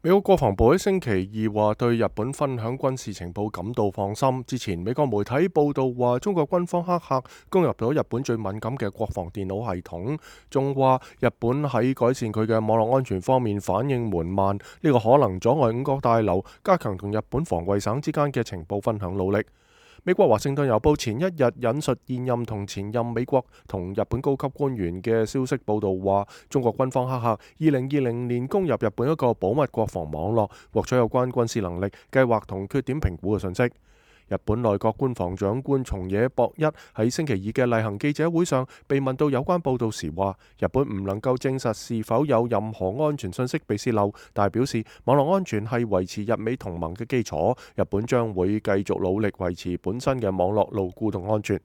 美國國防部喺星期二話對日本分享軍事情報感到放心。之前美國媒體報道話，中國軍方黑客攻入咗日本最敏感嘅國防電腦系統，仲話日本喺改善佢嘅網絡安全方面反應緩慢，呢個可能阻礙五角大樓加強同日本防衛省之間嘅情報分享努力。美國華盛頓郵報前一日引述現任同前任美國同日本高級官員嘅消息報道話，中國軍方黑客2020年攻入日本一個保密國防網絡，獲取有關軍事能力、計劃同缺點評估嘅信息。日本內閣官房長官松野博一喺星期二嘅例行記者會上被問到有關報道時話，日本唔能夠證實是否有任何安全信息被洩漏，但係表示網絡安全係維持日美同盟嘅基礎，日本將會繼續努力維持本身嘅網絡牢固同安全。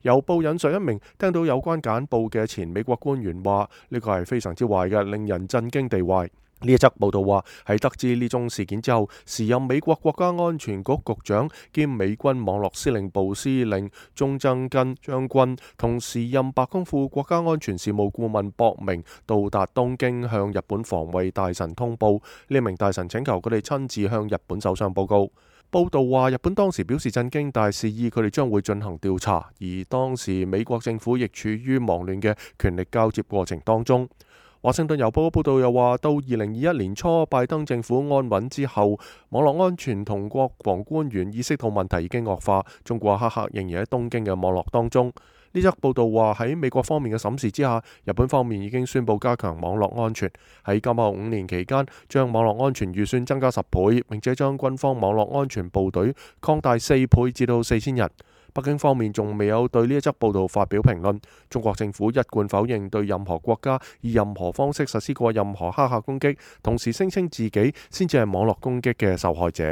郵報引述一名聽到有關簡報嘅前美國官員話，呢個係非常之壞嘅，令人震驚地壞。呢一則報道話，喺得知呢宗事件之後，時任美國國家安全局局長兼美軍網絡司令部司令中曾根將軍同時任白宮副國家安全事務顧問博明到達東京，向日本防衛大臣通報。呢名大臣請求佢哋親自向日本首相報告。報道話，日本當時表示震驚，但係示意佢哋將會進行調查，而當時美國政府亦處於忙亂嘅權力交接過程當中。華盛頓郵報嘅報道又話，到2021年初拜登政府安穩之後，網絡安全同國防官員意識到問題已經惡化，中國黑客仍然喺東京嘅網絡當中。呢則報道話，喺美國方面嘅審視之下，日本方面已經宣布加強網絡安全，喺今後5年期間將網絡安全預算增加10倍，並且將軍方網絡安全部隊擴大4倍至到4000人。北京方面仲未有對呢一則報道發表評論。中國政府一貫否認對任何國家以任何方式實施過任何黑客攻擊，同時聲稱自己先至係網絡攻擊嘅受害者。